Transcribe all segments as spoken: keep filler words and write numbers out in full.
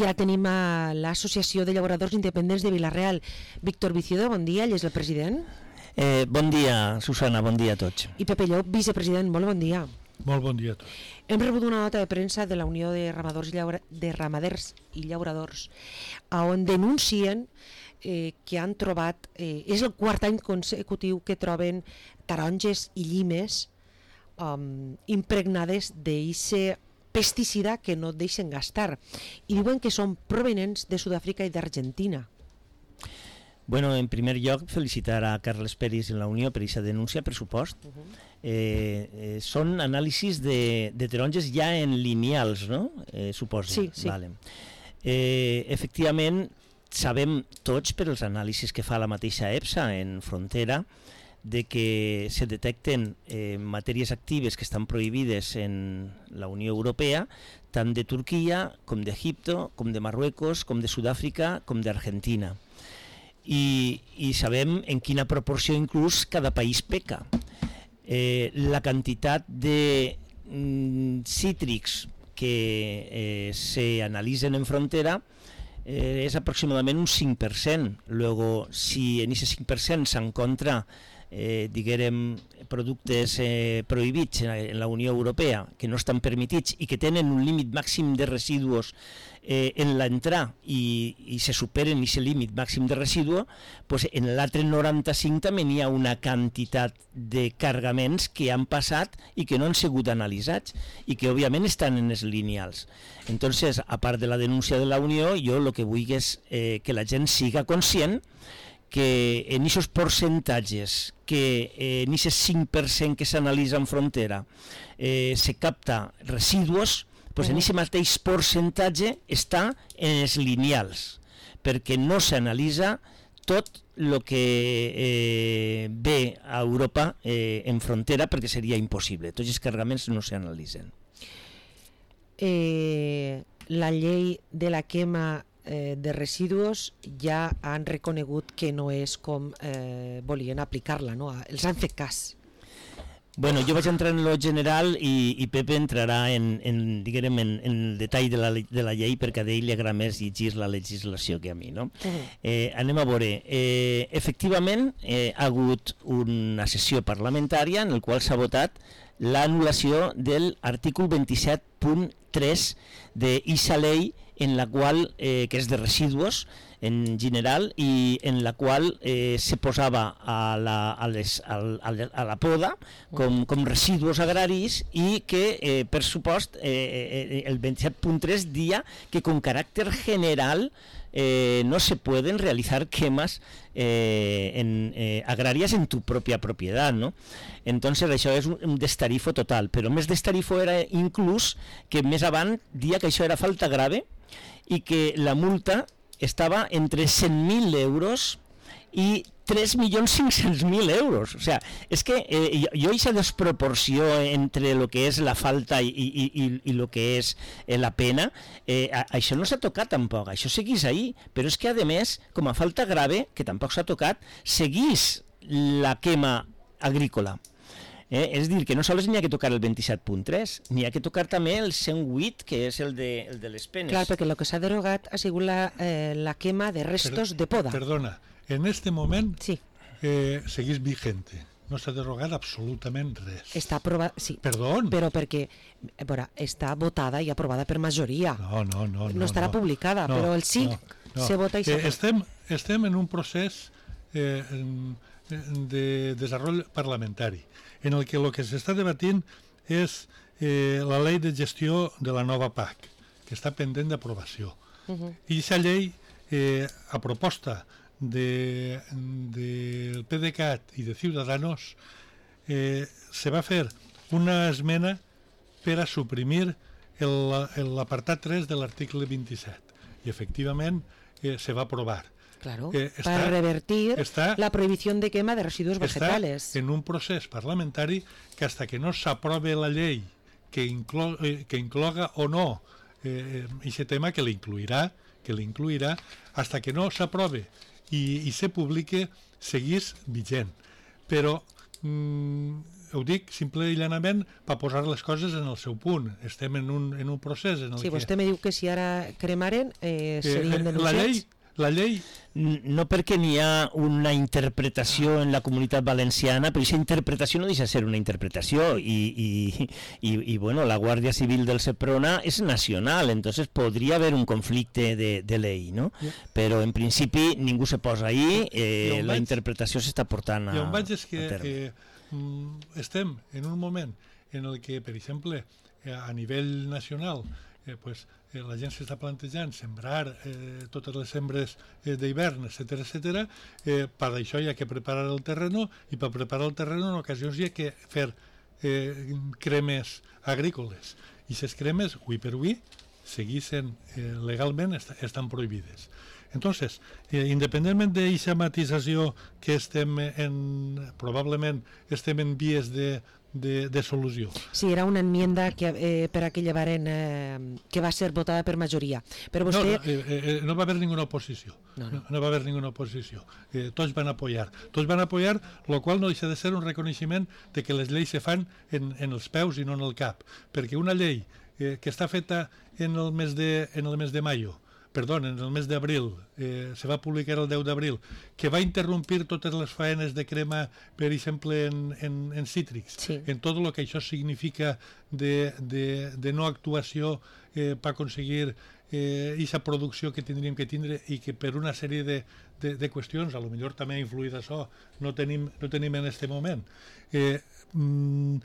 I ara tenim a l'Associació de Llauradors Independents de Vila-real. Víctor Vicido, bon dia, ell és el president. Eh, bon dia, Susana, bon dia a tots. I Pepe Llop, vicepresident, molt bon dia. Molt bon dia a tots. Hem rebut una nota de premsa de la Unió de Ramadors i, Llaura... de Ramaders i Llauradors on denuncien eh, que han trobat, eh, és el quart any consecutiu que troben taronges i llimes um, impregnades d'eixe pesticida que no deixen gastar, i diuen que són provenents de Sud-àfrica i d'Argentina. Bueno, en primer lloc, felicitar a Carles Peris i la Unió per aquesta denúncia, per supost. Uh -huh. eh, eh, són anàlisis de, de taronges ja en lineals, no? Eh, suposo. Sí, sí. Vale. Eh, efectivament, sabem tots, per els anàlisis que fa la mateixa EFSA en frontera, de que se detecten eh, matèries actives que estan prohibides en la Unió Europea, tant de Turquia, com d'Egipte, com de Marruecos, com de Sud-àfrica, com d'Argentina. I, i sabem en quina proporció inclús cada país peca. Eh, la quantitat de mm, cítrics que eh, se analitzen en frontera eh, és aproximadament un cinc per cent. Luego, si en aquest cinc per cent s'encontra eh, diguem, productes eh, prohibits en la Unió Europea que no estan permitits i que tenen un límit màxim de residus eh, en l'entrar i, i se superen aquest límit màxim de residu, pues en l'altre noranta-cinc també hi ha una quantitat de cargaments que han passat i que no han sigut analitzats i que òbviament estan en els lineals. Entonces, a part de la denúncia de la Unió, jo el que vull és eh, que la gent siga conscient que en aquests percentatges, que eh, en aquest cinc per cent que s'analitza en frontera eh, se capta residus, pues en aquest mateix percentatge està en els lineals, perquè no s'analitza tot el que eh, ve a Europa eh, en frontera, perquè seria impossible. Tots els cargaments no s'analitzen. Eh, la llei de la quema eh, de residus ja han reconegut que no és com eh, volien aplicar-la, no? Els han fet cas. Bueno, jo vaig entrar en lo general i, i Pepe entrarà en, en, diguem, en, en el detall de la, de la llei, perquè a ell li agrada més llegir la legislació que a mi, no? Uh-huh. eh, anem a veure. Eh, efectivament, eh, ha hagut una sessió parlamentària en la qual s'ha votat l'anul·lació de l'article vint-i-set punt tres d'eixa llei, en la qual, eh, que és de residus en general, i en la qual eh, se posava a la, a les, a, a la poda com, com residus agraris, i que eh, per supost eh, eh, el vint-i-set punt tres dia que con caràcter general eh, no se pueden realizar quemas eh, en, eh, agrarias en tu propia propiedad, ¿no? Entonces això és un, un destarifo total, però més destarifo era inclús que més avant dia que això era falta grave i que la multa estava entre cent mil euros i tres milions cinc-cents mil euros. O sea, és que eh, jo aquesta desproporció entre el que és la falta i, i, i, i el que és eh, la pena, eh, a, això no s'ha tocat tampoc, això seguís ahí, però és que a més, com a falta grave, que tampoc s'ha tocat, seguís la quema agrícola. Eh, és dir, que no sols n'hi ha que tocar el vint-i-set punt tres, n'hi ha que tocar també el cent vuit, que és el de, el de les penes. Clar, perquè el que s'ha derogat ha sigut la, eh, la quema de restos per, de poda. Perdona, en este moment sí. eh, seguís vigente. No s'ha derogat absolutament res. Està aprovada, sí. Perdó. Però perquè, veure, està votada i aprovada per majoria. No, no, no. No, no estarà no. publicada, no, però el sí no, no. se vota i eh, estem, estem en un procés eh, de desenvolupament parlamentari, en el que el que s'està debatint és eh, la llei de gestió de la nova P A C, que està pendent d'aprovació. Uh-huh. I aquesta llei, eh, a proposta del de, de PDeCAT i de Ciudadanos, eh, se va fer una esmena per a suprimir l'apartat tres de l'article vint-i-set, i efectivament eh, se va aprovar. Claro, eh, está, para revertir está, la prohibición de quema de residuos vegetales. Está en un procés parlamentari que hasta que no s'aprove la llei que, inclo, eh, que incloga o no eh, ese tema, que l'incluirà, que l'incluirà, hasta que no s'aprove i, i se publique, seguís vigent. Però mm, ho dic simple i llanament per posar les coses en el seu punt. Estem en un, en un procés en el sí, que... vostè me diu que si ara cremaren eh, serien eh, denunciats. La llei, la llei no perquè n'hi ha una interpretació en la comunitat valenciana, però aquesta interpretació no deixa de ser una interpretació i, i, i, i bueno, la Guàrdia Civil del Seprona és nacional, entonces podria haver un conflicte de, de llei, no? Yeah. Però en principi ningú se posa ahí, eh, la vaig, interpretació s'està portant a, i on vaig és que, a terme. Eh, estem en un moment en el que, per exemple, a nivell nacional, eh, pues, eh, la gent s'està plantejant sembrar eh, totes les sembres eh, d'hivern, etcètera, etcètera. Eh, per això hi ha que preparar el terreno, i per preparar el terreno en ocasions hi ha que fer eh, cremes agrícoles. I aquestes cremes, avui per avui, seguissin eh, legalment, est estan prohibides. Entonces, eh, independentment d'aquesta matisació que estem en, probablement estem en vies de, de, de solució. Sí, era una enmienda que, eh, per a que llevaren, eh, que va ser votada per majoria. Però vostè... No, no, eh, eh, no va haver ninguna oposició. No, no. no, no va haver ninguna oposició. Eh, tots van apoyar. Tots van apoyar, lo qual no deixa de ser un reconeixement de que les lleis se fan en, en els peus i no en el cap. Perquè una llei eh, que està feta en el mes de, en el mes de maio, perdó, en el mes d'abril, eh, se va publicar el deu d'abril, que va interrompir totes les faenes de crema, per exemple, en, en, en cítrics, sí. En tot el que això significa de, de, de no actuació eh, per aconseguir aquesta eh, producció que tindríem que tindre i que per una sèrie de, de, de qüestions, a lo millor també ha influït això, no tenim, no tenim en aquest moment. Eh, mm,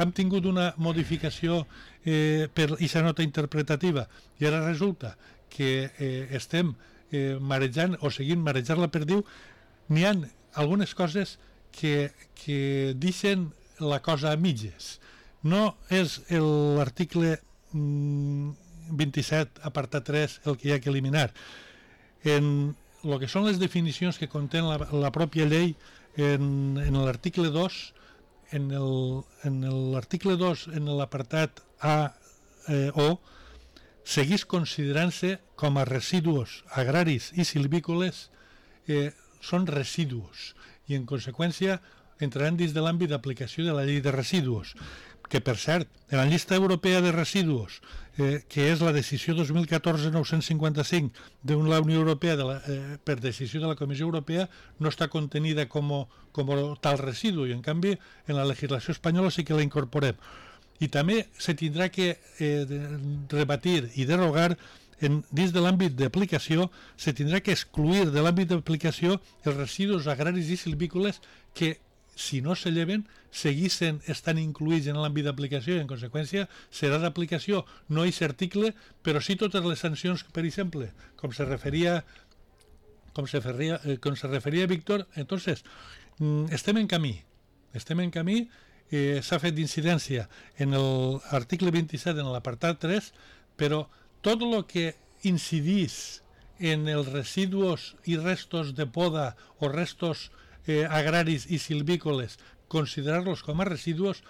hem tingut una modificació eh, per aquesta nota interpretativa i ara resulta que eh, estem eh, marejant o seguint marejar la perdiu. N'hi ha algunes coses que, que deixen la cosa a mitges. No és l'article mm, vint-i-set, apartat tres, el que hi ha que eliminar. En el que són les definicions que contén la, la pròpia llei, en, en l'article dos, en l'article dos, en l'apartat A eh, o, seguís considerant-se com a residus agraris i silvícoles, eh, són residus i en conseqüència entraran dins de l'àmbit d'aplicació de la llei de residus, que per cert, en la llista europea de residus, eh, que és la decisió dos mil catorze nou-cents cinquanta-cinc de la Unió Europea de la, eh, per decisió de la Comissió Europea, no està contenida com, com tal residu i en canvi en la legislació espanyola sí que la incorporem. I també se tindrà que eh, rebatir i derogar en, dins de l'àmbit d'aplicació, se tindrà que excluir de l'àmbit d'aplicació els residus agraris i silvícoles que, si no se lleven, seguissin estan incluïts en l'àmbit d'aplicació i en conseqüència serà d'aplicació no aquest article, però sí totes les sancions, per exemple, com se referia com se referia, eh, com se referia Víctor. Entonces, mm, estem en camí, estem en camí. Eh, s'ha fet d'incidència en l'article vint-i-set, en l'apartat tres, però tot el que incidís en els residus i restos de poda o restos eh, agraris i silvícoles, considerar-los com a residus,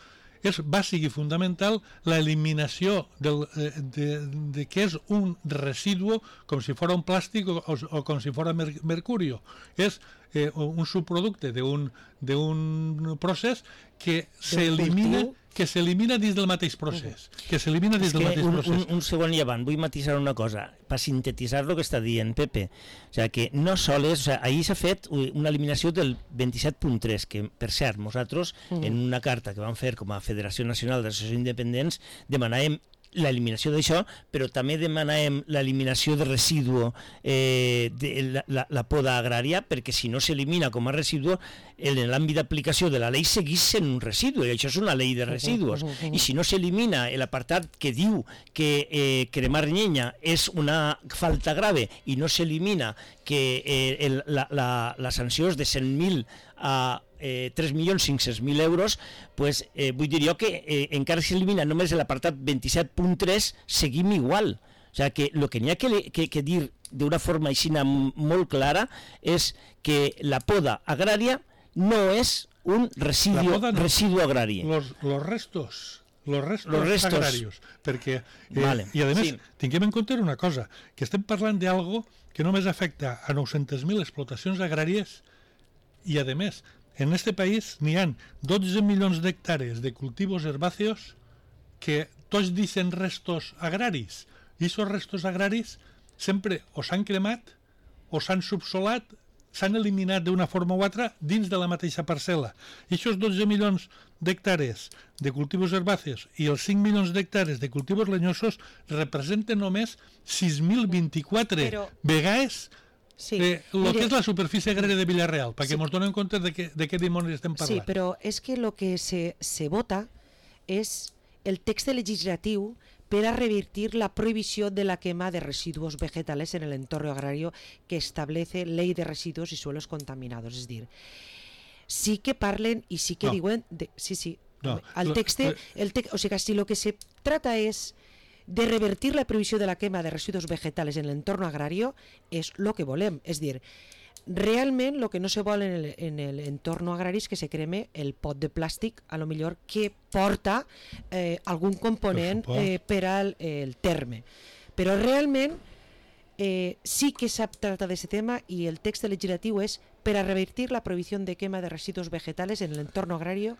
és bàsic i fundamental l'eliminació del, eh, de, de què és un residu, com si fos un plàstic o, o, o com si fos mer mercuri. És eh, un subproducte d'un procés que s'elimina que s'elimina dins del mateix procés. Que s'elimina dins del mateix un, procés. Un, un segon i avant, vull matisar una cosa, per sintetitzar el que està dient Pepe. O sigui, que no sols, o sigui, ahir s'ha fet una eliminació del vint-i-set punt tres, que, per cert, nosaltres, mm. en una carta que vam fer com a Federació Nacional d'Associacions Independents, demanàvem l'eliminació d'això, però també demanàvem l'eliminació de residu, eh, de la, la, la poda agrària, perquè si no s'elimina com a residu, en l'àmbit d'aplicació de la llei segueix sent un residu, i això és una llei de residus. I si no s'elimina l'apartat que diu que eh, cremar llenya és una falta grave i no s'elimina que eh, el, la, la, la sanció és de cent mil a Eh, tres milions cinc-cents mil euros, pues, eh, vull dir jo que eh, encara s'elimina només l'apartat vint-i-set punt tres, seguim igual. O sigui que el que n'hi ha que, que, que dir d'una forma així molt clara és que la poda agrària no és un residu, no. residu agrari. Los, los restos, los restos, los restos agrarios. Perquè, eh, vale. I a més, sí. tinguem en compte una cosa, que estem parlant d'algo que només afecta a nou-cents mil explotacions agràries i a més en este país n'hi ha dotze milions d'hectàrees de cultivos herbáceos que tots dicen restos agraris, i aquests restos agraris sempre o s'han cremat o s'han subsolat, s'han eliminat d'una forma o altra dins de la mateixa parcel·la. I aquests dotze milions d'hectàrees de cultivos herbáceos i els cinc milions d'hectàrees de cultivos lenyosos representen només sis mil vint-i-quatre Però... vegades sí, eh, el mire... que és la superfície agrària de Villarreal, perquè sí. ens donem compte de, que, de què dimonis estem parlant. Sí, però és que el que se, se vota és el text legislatiu per a revertir la prohibició de la quema de residuos vegetales en el entorno agrario que establece Ley de Residuos y Suelos Contaminados. És dir, sí que parlen i sí que no. diuen... De, sí, sí, no. el text... El te, o sigui, si lo que se trata es de revertir la prohibició de la quema de residuos vegetales en el entorno agrario, és lo que volem. És dir, realment el que no se vol en el, en el entorno agrari és que se creme el pot de plàstic, a lo millor que porta eh, algun component eh, per al eh, el terme. Però realment eh, sí que s'ha tractat d'aquest tema i el text legislatiu és per a revertir la prohibició de quema de residuos vegetales en el entorno agrario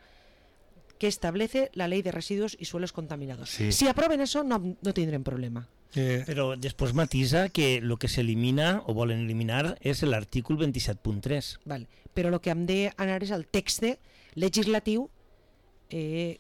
que establece la Ley de Residuos y Suelos Contaminados. Sí. Si aproven eso, no, no tindrem problema. Eh, Però després matisa que el que s'elimina o volen eliminar és l'article vint-i-set punt tres. Vale. Però el que hem d'anar és al text legislatiu eh,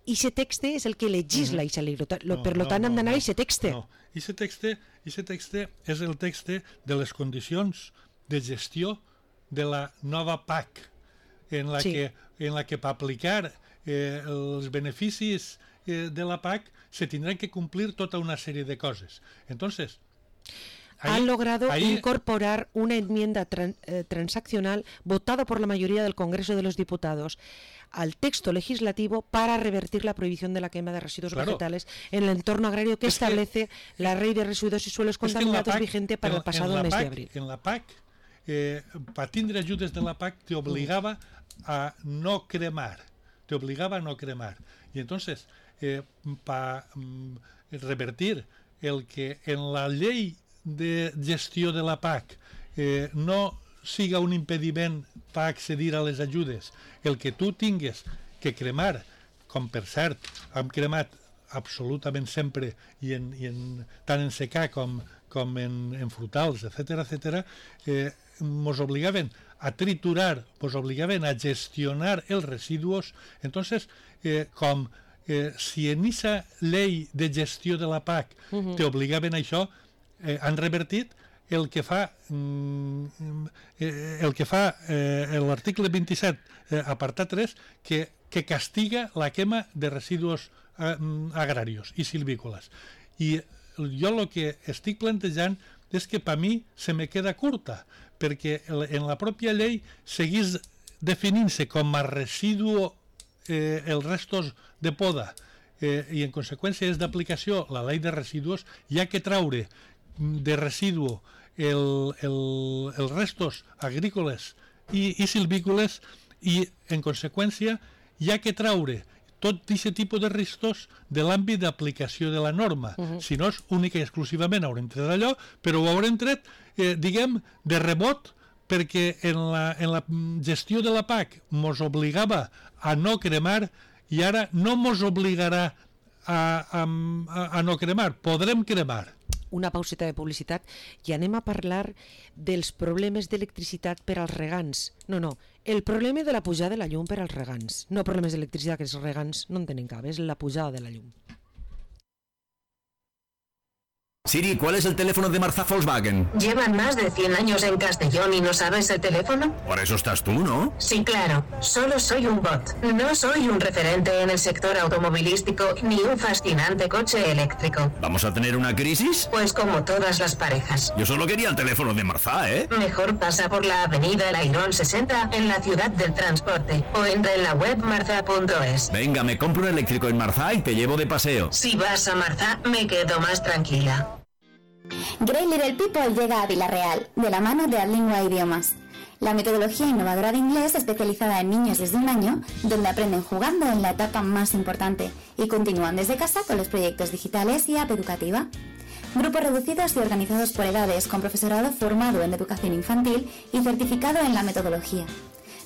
i aquest text és el que legisla mm-hmm. i no, per no, tant no, hem d'anar no, a aquest text. No, aquest text, aquest text és el text de les condicions de gestió de la nova P A C en la sí. que, en la que per aplicar eh, els beneficis eh, de la P A C se tendrán que cumplir toda una serie de cosas. Entonces, ahí, han logrado ahí... incorporar una enmienda tran, eh, transaccional votada por la mayoría del Congreso de los Diputados al texto legislativo para revertir la prohibición de la quema de residuos claro. vegetales en el entorno agrario que es establece que, la Ley de Residuos y Suelos Contaminados P A C, vigente para en, el pasado mes P A C, de abril. En la P A C, eh, para tindre ajudes de la P A C, te obligaba mm. a no cremar. Te obligaba a no cremar. Y entonces... Eh, para mm, revertir el que en la llei de gestió de la P A C eh, no siga un impediment per accedir a les ajudes, el que tu tingues que cremar, com per cert hem cremat absolutament sempre i, en, i en, tant en secà com, com en, en frutals, etcètera, etcètera, eh, mos obligaven a triturar, mos obligaven a gestionar els residus. Entonces, eh, com Eh, si en aquesta llei de gestió de la P A C uh-huh. t'obligaven a això, eh, han revertit el que fa mm, eh, el que fa eh, l'article vint-i-set eh, apartat tres que, que castiga la quema de residus eh, agrarios i silvícoles. I jo el que estic plantejant és que per mi se me queda curta, perquè en la pròpia llei seguís definint-se com a residu eh, els restos de poda eh, i en conseqüència és d'aplicació la llei de residus, hi ha que traure de residu el, el, els restos agrícoles i, i silvícoles i en conseqüència hi ha que traure tot aquest tipus de restos de l'àmbit d'aplicació de la norma. Uh-huh. Si no és única i exclusivament haurem tret allò, però ho haurem tret, eh, diguem, de rebot, perquè en la, en la gestió de la P A C mos obligava a no cremar i ara no mos obligarà a, a, a no cremar, podrem cremar. Una pauseta de publicitat i anem a parlar dels problemes d'electricitat per als regants. No, no, el problema de la pujada de la llum per als regants. No problemes d'electricitat, que els regants no en tenen cap, és la pujada de la llum. Siri, ¿cuál es el teléfono de Marzá Volkswagen? Llevan más de cien años en Castellón y no sabes el teléfono. Por eso estás tú, ¿no? Sí, claro. Solo soy un bot. No soy un referente en el sector automovilístico ni un fascinante coche eléctrico. ¿Vamos a tener una crisis? Pues como todas las parejas. Yo solo quería el teléfono de Marzá, ¿eh? Mejor pasa por la avenida El Airón sesenta en la ciudad del transporte o entra en la web marza punto es. Venga, me compro un eléctrico en Marzá y te llevo de paseo. Si vas a Marzá, me quedo más tranquila. Great Little People llega a Villarreal, de la mano de Adlingua Idiomas, la metodología innovadora de inglés especializada en niños desde un año, donde aprenden jugando en la etapa más importante y continúan desde casa con los proyectos digitales y app educativa. Grupos reducidos y organizados por edades con profesorado formado en educación infantil y certificado en la metodología.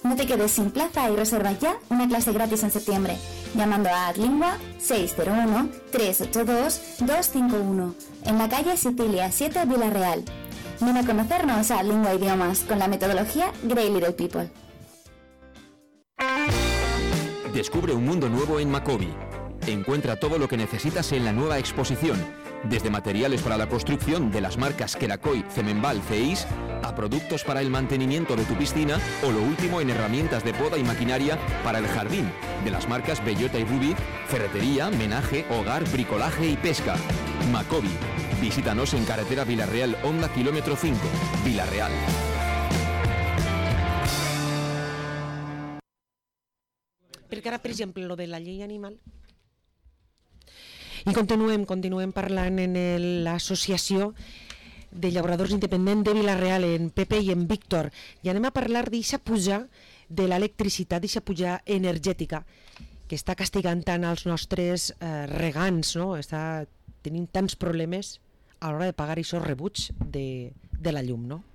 No te quedes sin plaza y reserva ya una clase gratis en septiembre, llamando a Adlingua seis cero uno, tres ocho dos, dos cinco uno, en la calle Sicilia siete, Villarreal. Ven a conocernos a Adlingua Idiomas con la metodología Grey Little People. Descubre un mundo nuevo en Macobi. Encuentra todo lo que necesitas en la nueva exposición, desde materiales para la construcción de las marcas Kerakoy, Cemenbal, Ceis, a productos para el mantenimiento de tu piscina o lo último en herramientas de poda y maquinaria para el jardín, de las marcas Bellota y Ruby, ferretería, menaje, hogar, bricolaje y pesca. Macobi. Visítanos en carretera Villarreal, Honda kilómetro cinco, Villarreal. Perquè ara, per exemple, lo de la llei animal... I continuem, continuem parlant en l'associació de llauradors independents de Vila-real, en Pepe i en Víctor, i anem a parlar d'eixa puja de l'electricitat, d'eixa puja energètica, que està castigant tant als nostres eh, regants, no? Està tenint tants problemes a l'hora de pagar aquests rebuts de, de la llum, no?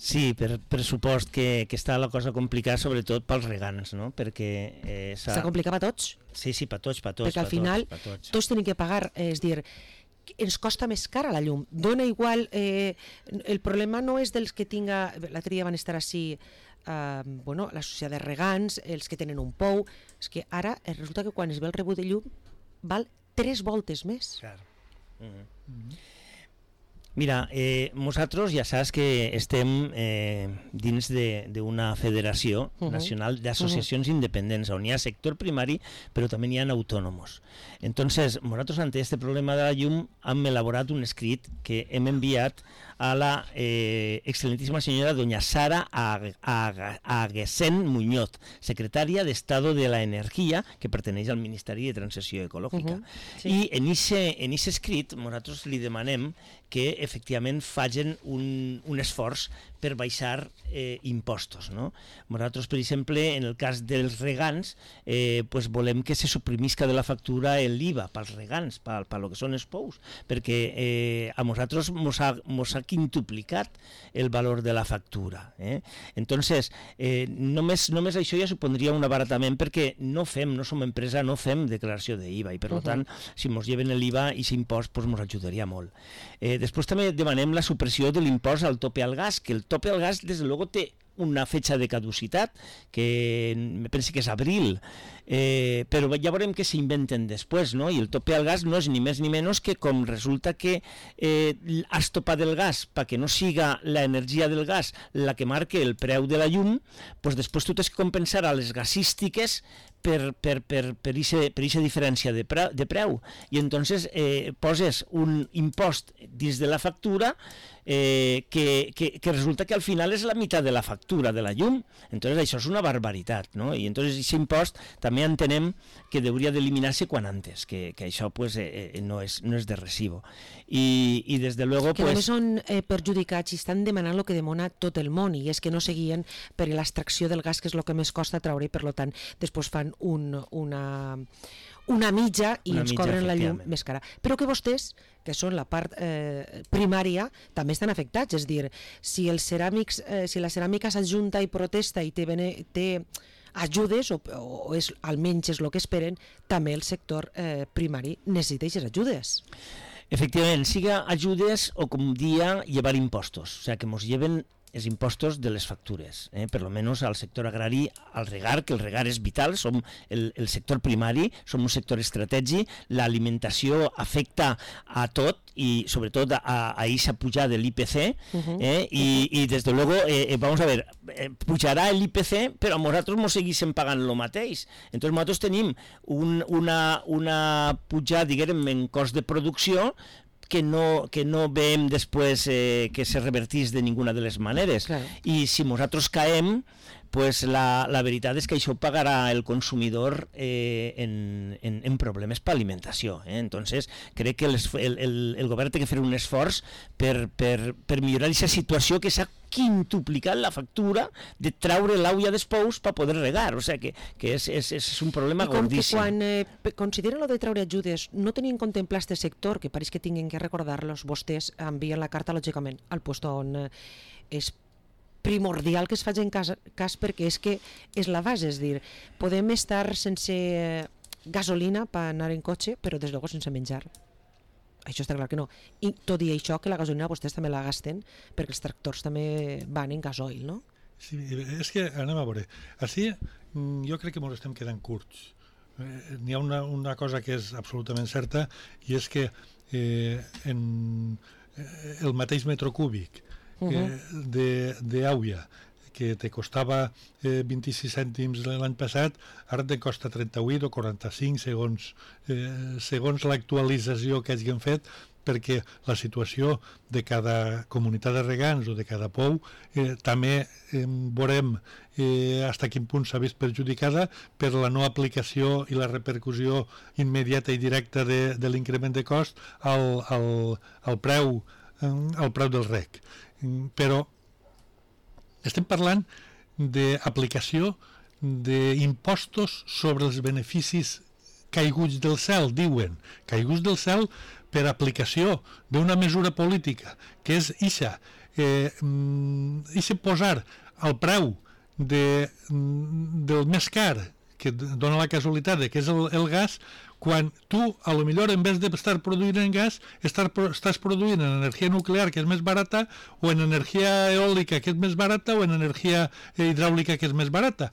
Sí, per, per supost que, que està la cosa complicada, sobretot pels regants, no? Perquè... Eh, Està complicat per tots? Sí, sí, per tots, per tots. Perquè al final tots, tots. tots tenim que pagar, és dir, ens costa més cara la llum. Dona igual, eh, el problema no és dels que tinga... L'altre dia van estar així, eh, bueno, l'associació de regants, els que tenen un pou, és que ara resulta que quan es ve el rebut de llum val tres voltes més. Clar. Mm-hmm. Mm-hmm. Mira, eh, nosaltres ja saps que estem eh, dins d'una federació uh-huh. nacional d'associacions uh-huh. independents, on hi ha sector primari, però també hi ha autònomos. Entonces, nosaltres, ante este problema de la llum, hem elaborat un escrit que hem enviat a la eh, excelentíssima senyora doña Sara Aguesén Muñoz, secretària d'Estado de la Energia, que perteneix al Ministeri de Transició Ecològica. Uh-huh. Sí. I en aquest escrit nosaltres li demanem que efectivament facin un, un esforç per baixar eh, impostos. No? Nosaltres, per exemple, en el cas dels regants, eh, pues volem que se suprimisca de la factura l'I V A pels regants, per, per lo que són els pous, perquè eh, a nosaltres mos ha, mos ha quintuplicat el valor de la factura. Eh? Entonces, eh, només, només això ja supondria un abaratament, perquè no fem, no som empresa, no fem declaració d'I V A, i per uh-huh. tant, si mos lleven l'I V A i s'impost, pues mos ajudaria molt. Eh, després també demanem la supressió de l'impost al tope al gas, que el tope al gas, des de luego, té una fecha de caducitat, que me penso que és abril, eh, però ja veurem què s'inventen després, no? I el tope al gas no és ni més ni menys que com resulta que eh, has topat el gas perquè no siga l'energia del gas la que marque el preu de la llum, doncs després tu tens que compensar a les gasístiques per, per, per, per aquesta diferència de preu, de preu. I entonces eh, poses un impost dins de la factura eh, que, que, que resulta que al final és la meitat de la factura de la llum. Entonces això és una barbaritat, no? I entonces aquest impost també entenem que hauria d'eliminar-se quan antes, que, que això pues, eh, no, és, no és de recibo. I, i des de luego... Que pues... només són eh, perjudicats i estan demanant el que demana tot el món, i és que no seguien per l'extracció del gas, que és el que més costa treure, i per tant després fan un, una, una mitja i una ens mitja, cobren la llum més cara. Però que vostès, que són la part eh, primària, també estan afectats. És dir, si, els ceràmics, eh, si la ceràmica s'ajunta i protesta i té, té ajudes, o, o és, almenys és el que esperen, també el sector eh, primari necessita aquestes ajudes. Efectivament, siga ajudes o, com dia, llevar impostos. O sigui, que ens lleven els impostos de les factures, eh? Per almenys al sector agrari, al regar, que el regar és vital, som el, el sector primari, som un sector estratègic, l'alimentació afecta a tot i sobretot a aquesta pujada de l'I P C, uh-huh. eh? I, i des de luego, eh, vamos a ver, eh, pujarà l'I P C, però nosaltres ens seguíssim pagant el mateix. Entonces nosaltres tenim un, una, una pujada, diguem, en cost de producció, que no, que no veiem després eh, que se revertís de ninguna de les maneres. Claro. I si nosaltres caem, pues la, la veritat és que això pagarà el consumidor eh, en, en, en problemes per alimentació. Eh? Entonces, crec que el, el, el govern té que fer un esforç per, per, per millorar aquesta situació que s'ha quintuplicat la factura de treure l'aulla d'espous per poder regar. O sigui que, que és, és, és un problema gordíssim. I com que quan eh, consideren lo de treure ajudes no tenien contemplat aquest sector, que pareix que tinguin que recordar-los, vostès envien la carta, lògicament, al lloc on eh, es primordial que es faci en cas, cas perquè és que és la base, és dir, podem estar sense gasolina per anar en cotxe, però des de luego sense menjar. Això està clar que no. I tot i això, que la gasolina vostès també la gasten, perquè els tractors també van en gasoil, no? Sí, és que, anem a veure, així jo crec que ens estem quedant curts. Eh, n'hi ha una, una cosa que és absolutament certa, i és que eh, en el mateix metro cúbic uh-huh. d'Àuia, que te costava eh, vint-i-sis cèntims l'any passat, ara te costa trenta-vuit o quaranta-cinc segons, eh, segons l'actualització que hagin fet, perquè la situació de cada comunitat de regants o de cada pou eh, també eh, veurem eh, fins a quin punt s'ha vist perjudicada per la no aplicació i la repercussió immediata i directa de, de l'increment de cost al, al, al, preu, eh, al preu del rec. Però estem parlant d'aplicació d'impostos sobre els beneficis caiguts del cel, diuen, caiguts del cel per aplicació d'una mesura política, que és ixa, eh, ixa posar el preu de, del més car, que dona la casualitat de que és el, el gas, quan tu, a lo millor, en vez d'estar produint en gas, estar, estàs produint en energia nuclear, que és més barata, o en energia eòlica, que és més barata, o en energia hidràulica, que és més barata.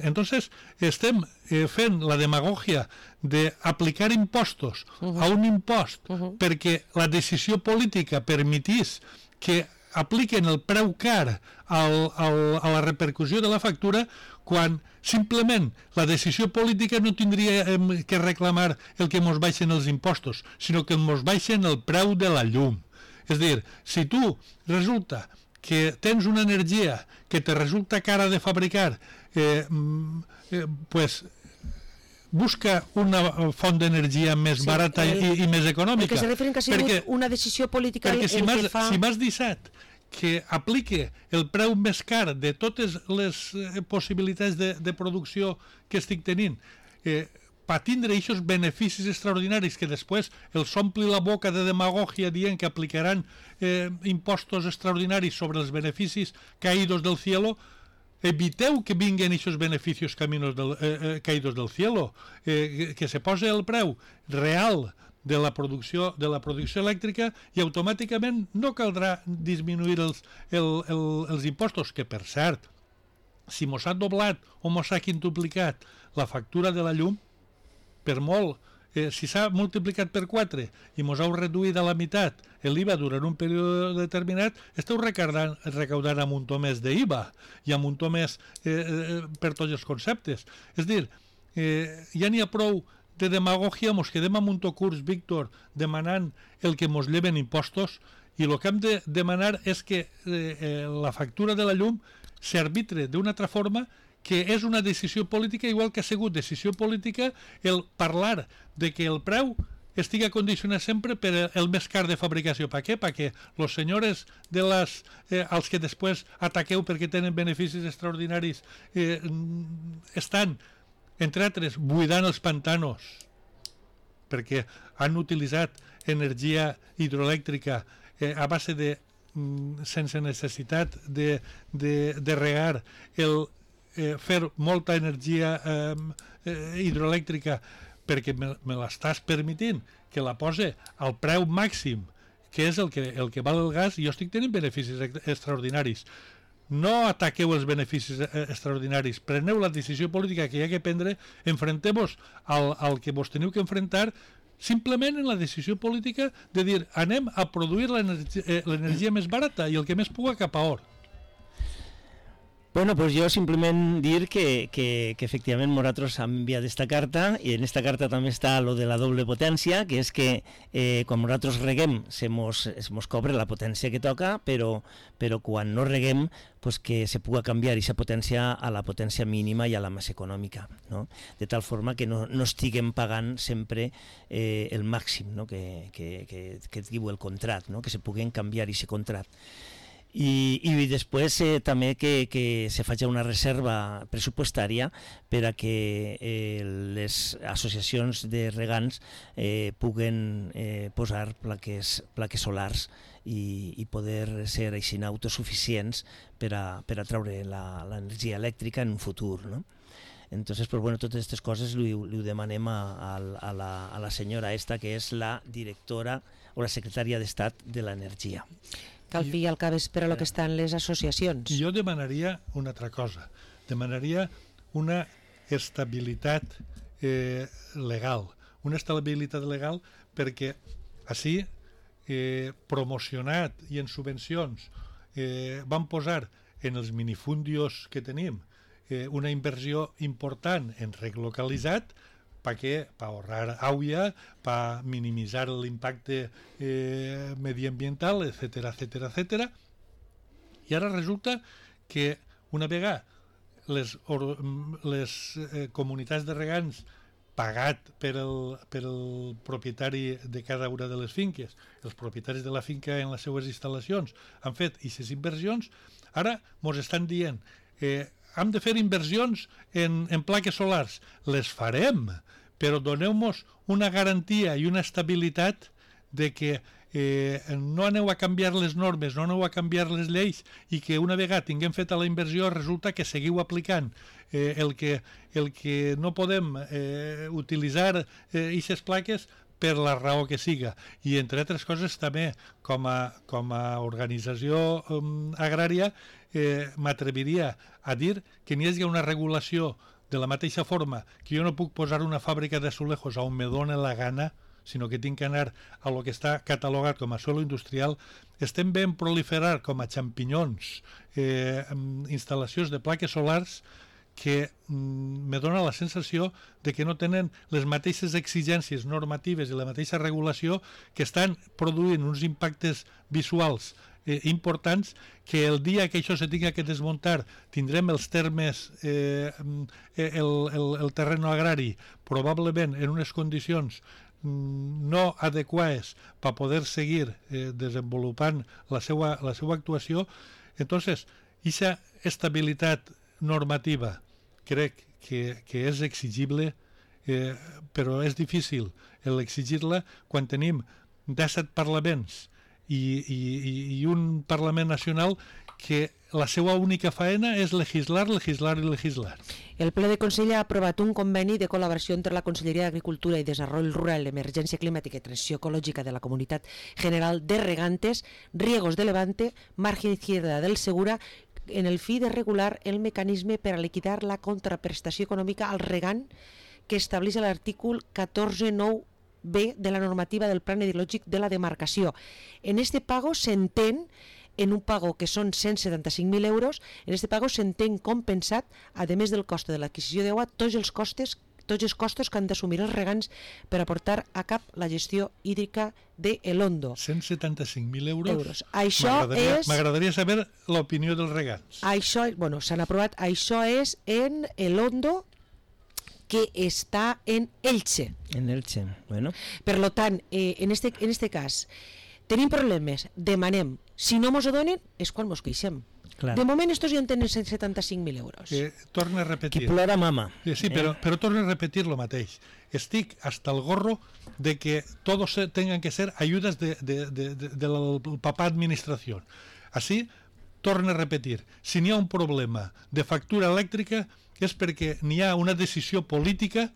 Entonces, estem eh, fent la demagogia d'aplicar impostos uh-huh. a un impost uh-huh. perquè la decisió política permetís que apliquen el preu car al, al, a la repercussió de la factura, quan simplement la decisió política no tindria eh, que reclamar el que mos baixen els impostos, sinó que mos baixen el preu de la llum. És a dir, si tu resulta que tens una energia que te resulta cara de fabricar, eh, eh, pues busca una font d'energia més sí, barata el, i, i més econòmica. El que se referent que ha sigut perquè, una decisió política perquè si m'has fa... si m'has deixat que aplique el preu més car de totes les eh, possibilitats de, de producció que estic tenint, eh, per tindre aquests beneficis extraordinaris que després els ompli la boca de demagogia dient que aplicaran eh, impostos extraordinaris sobre els beneficis caídos del cielo, eviteu que vinguen aquests beneficis caminos del, eh, eh, caídos del cielo, eh, que se posi el preu real de la producció de la producció elèctrica i automàticament no caldrà disminuir els, el, el, els impostos, que per cert, si mos ha doblat o mos ha quintuplicat la factura de la llum, per molt, eh, si s'ha multiplicat per quatre i mos heu reduït a la meitat l'I V A durant un període determinat, esteu recaudant, recaudant amb un to més d'I V A i amb un to més eh, eh, per tots els conceptes. És dir, eh, ja n'hi ha prou de demagogia, mos quedem amb un to curs, Víctor, demanant el que mos lleven impostos, i el que hem de demanar és que eh, eh, la factura de la llum s'arbitre d'una altra forma, que és una decisió política, igual que ha sigut decisió política el parlar de que el preu estigui condicionat sempre per el més car de fabricació. Per què? Perquè els senyors de les, eh, els que després ataqueu perquè tenen beneficis extraordinaris eh, estan, entre altres, buidant els pantanos perquè han utilitzat energia hidroelèctrica eh, a base de, mm, sense necessitat de, de, de regar el Eh, fer molta energia eh, eh, hidroelèctrica perquè me, me l'estàs permitint que la pose al preu màxim, que és el que, el que val el gas, i jo estic tenint beneficis extraordinaris. No ataqueu els beneficis extraordinaris, preneu la decisió política que hi ha que prendre, enfronteu-vos al, al que vos teniu que enfrontar, simplement en la decisió política de dir anem a produir l'energia eh, l'energia més barata i el que més puga cap a or. Bueno, pues yo simplemente dir que, que, que efectivamente nosaltres han enviado esta carta, y en esta carta también está lo de la doble potència, que és que eh, quan nosaltres reguem se mos, se mos cobre la potència que toca, però, però quan no reguem pues que se puga canviar aquesta potència a la potència mínima i a la més econòmica, no? De tal forma que no, no estiguem pagant sempre eh, el màxim, no? que, que, que, que diu el contrat, no? Que se puguen canviar aquest contrat. I, i després eh, també que, que se faci una reserva pressupostària per a que eh, les associacions de regants eh, puguen eh, posar plaques, plaques solars i, i poder ser així autosuficients per a, per a treure l'energia elèctrica en un futur, no? Entonces, pues bueno, totes aquestes coses li, li ho demanem a, a, a, la, a la senyora esta, que és la directora o la secretària d'Estat de l'Energia. Cal fi al cap és per a lo que estan les associacions. Jo demanaria una altra cosa. Demanaria una estabilitat eh, legal. Una estabilitat legal perquè així, eh, promocionat i en subvencions, eh, van posar en els minifundios que tenim eh, una inversió important en relocalitzat ¿para qué? Para ahorrar agua, para minimizar el impacto eh, medioambiental, etcétera, etcétera, etcétera. I ara resulta que una vegada les, or, les eh, comunitats de regants pagat per el, per el propietari de cada una de les finques, els propietaris de la finca en les seues instal·lacions han fet aquestes inversions, ara mos estan dient eh, hem de fer inversions en, en plaques solars. Les farem, però doneu-nos una garantia i una estabilitat de que eh, no aneu a canviar les normes, no aneu a canviar les lleis i que una vegada tinguem feta la inversió resulta que seguiu aplicant eh, el, que, el que no podem eh, utilitzar aquestes eh, plaques per la raó que siga. I entre altres coses també com a, com a organització um, agrària eh, m'atreviria a dir que n'hi hagi una regulació de la mateixa forma que jo no puc posar una fàbrica d'azulejos on me dóna la gana, sinó que tinc que anar a lo que està catalogat com a suelo industrial. Estem ben proliferar com a xampinyons eh, instal·lacions de plaques solars que mm, me dona la sensació de que no tenen les mateixes exigències normatives i la mateixa regulació, que estan produint uns impactes visuals eh, importants, que el dia que això se tinga que desmuntar tindrem els termes, eh, el, el, el terreno agrari probablement en unes condicions no adequades per poder seguir eh, desenvolupant la seva, la seva actuació. Entonces, aquesta estabilitat normativa crec que, que és exigible, eh, però és difícil l'exigir-la quan tenim disset parlaments i, i, i un Parlament Nacional que la seva única faena és legislar, legislar i legislar. El ple de Consell ha aprovat un conveni de col·laboració entre la Conselleria d'Agricultura i Desenvolupament Rural, Emergència Climàtica i Transició Ecològica de la Comunitat General de Regantes, Riegos de Levante, Margen Izquierda del Segura, en el fi de regular el mecanisme per a liquidar la contraprestació econòmica al regant que estableix l'artícul catorze nou B de la normativa del Plan Hidrològic de la demarcació. En este pago s'entén, en un pago que són cent setanta-cinc mil euros, en este pago s'entén compensat, a més del cost de l'adquisició d'aigua, tots els costes tots els costos que han d'assumir els regants per a portar a cap la gestió hídrica de El Hondo. cent setanta-cinc mil euros? euros. Això és... M'agradaria saber l'opinió dels regants. Això, bueno, s'han aprovat. Això és en El Hondo, que està en Elche. En Elche, bueno. Per lo tant, eh, en, este, en este cas, tenim problemes, demanem. Si no mos ho donen, és quan mos queixem. Clar. De moment estos ja en tenen cent setanta-cinc mil euros. Eh, torna a repetir. Qui plora mama. Eh, sí, però, però torna a repetir lo mateix. Estic hasta el gorro de que todos tengan que ser ayudas de, de, de, de, de la papá administración. Así, torna a repetir. Si n'hi ha un problema de factura elèctrica és perquè n'hi ha una decisió política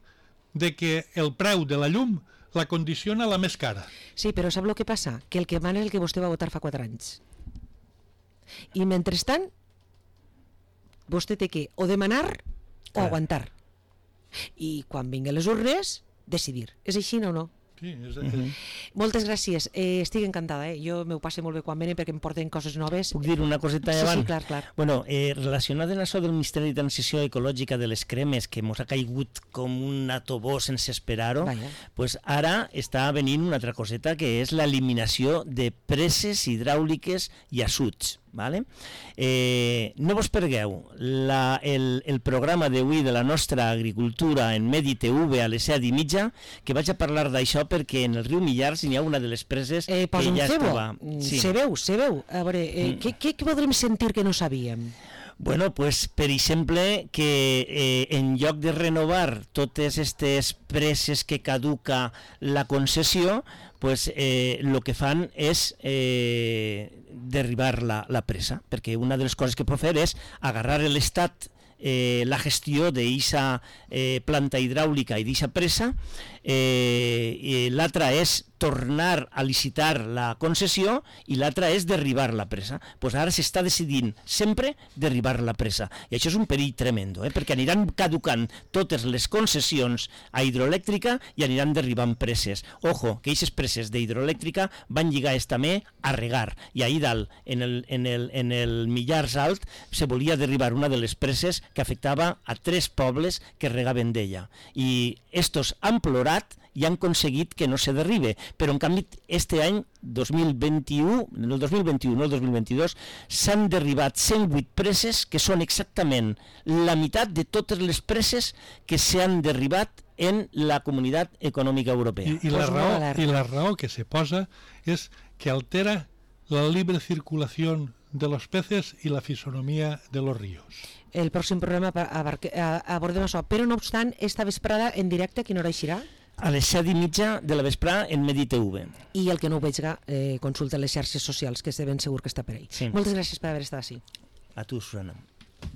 de que el preu de la llum la condiciona la més cara. Sí, però sap el que passa? Que el que mana és el que vostè va votar fa quatre anys. I mentrestant vostè té que o demanar o Clar. aguantar, i quan vinguen les urnes decidir. És així o no? Sí, és, Uh -huh. Moltes gràcies, eh, estic encantada, eh? Jo m'ho passo molt bé quan venen perquè em porten coses noves. Puc dir una coseta Sí, davant? sí, clar, clar. Bueno, eh, relacionat amb això del Ministeri de Transició Ecològica de les cremes, que ens ha caigut com un atobó sense esperar-ho, pues ara està venint una altra coseta, que és l'eliminació de preses hidràuliques i assuts. Vale? Eh, no vos pergueu la, el, el programa d'avui de la nostra agricultura en Medi T V a les set i mitja, que vaig a parlar d'això perquè en el riu Millars hi ha una de les preses eh, que ja es troba. Sí. Se veu, se veu. A veure, eh, mm. què, què podrem sentir que no sabíem? Bueno, pues, per exemple, que eh, en lloc de renovar totes aquestes preses que caduca la concessió, pues, eh, lo que fan és eh, derribar la, la presa, perquè una de les coses que pot fer és agarrar l'Estat eh, la gestió d'eixa eh, planta hidràulica i d'eixa presa, eh, i l'altra és tornar a licitar la concessió i l'altra és derribar la presa. Pues ara s'està decidint sempre derribar la presa. I això és un perill tremendo, eh? perquè aniran caducant totes les concessions a hidroelèctrica i aniran derribant preses. Ojo, que aquestes preses d'hidroelèctrica van lligades també a regar. I ahir dalt, en el, en el, en el Millars Alt, se volia derribar una de les preses que afectava a tres pobles que regaven d'ella. I estos han plorat i han aconseguit que no se derribe, però en canvi este any dos mil vint-i-u, el dos mil vint-i-u, no el dos mil vint-i-dos, s'han derribat cent vuit preses que són exactament la meitat de totes les preses que s'han derribat en la Comunitat Econòmica Europea. I, i, la raó, I la raó que se posa és que altera la libre circulació de los peces y la fisonomía de los ríos. El pròxim programa abordem això, però no obstant, esta vesprada en directe, a quina hora eixirà? A les set i mitja de la vesprada en Medi T V. I el que no ho veiga, eh, consulta les xarxes socials, que és de ben segur que està per ahí. Sí. Moltes gràcies per haver estat així. A tu, Susana.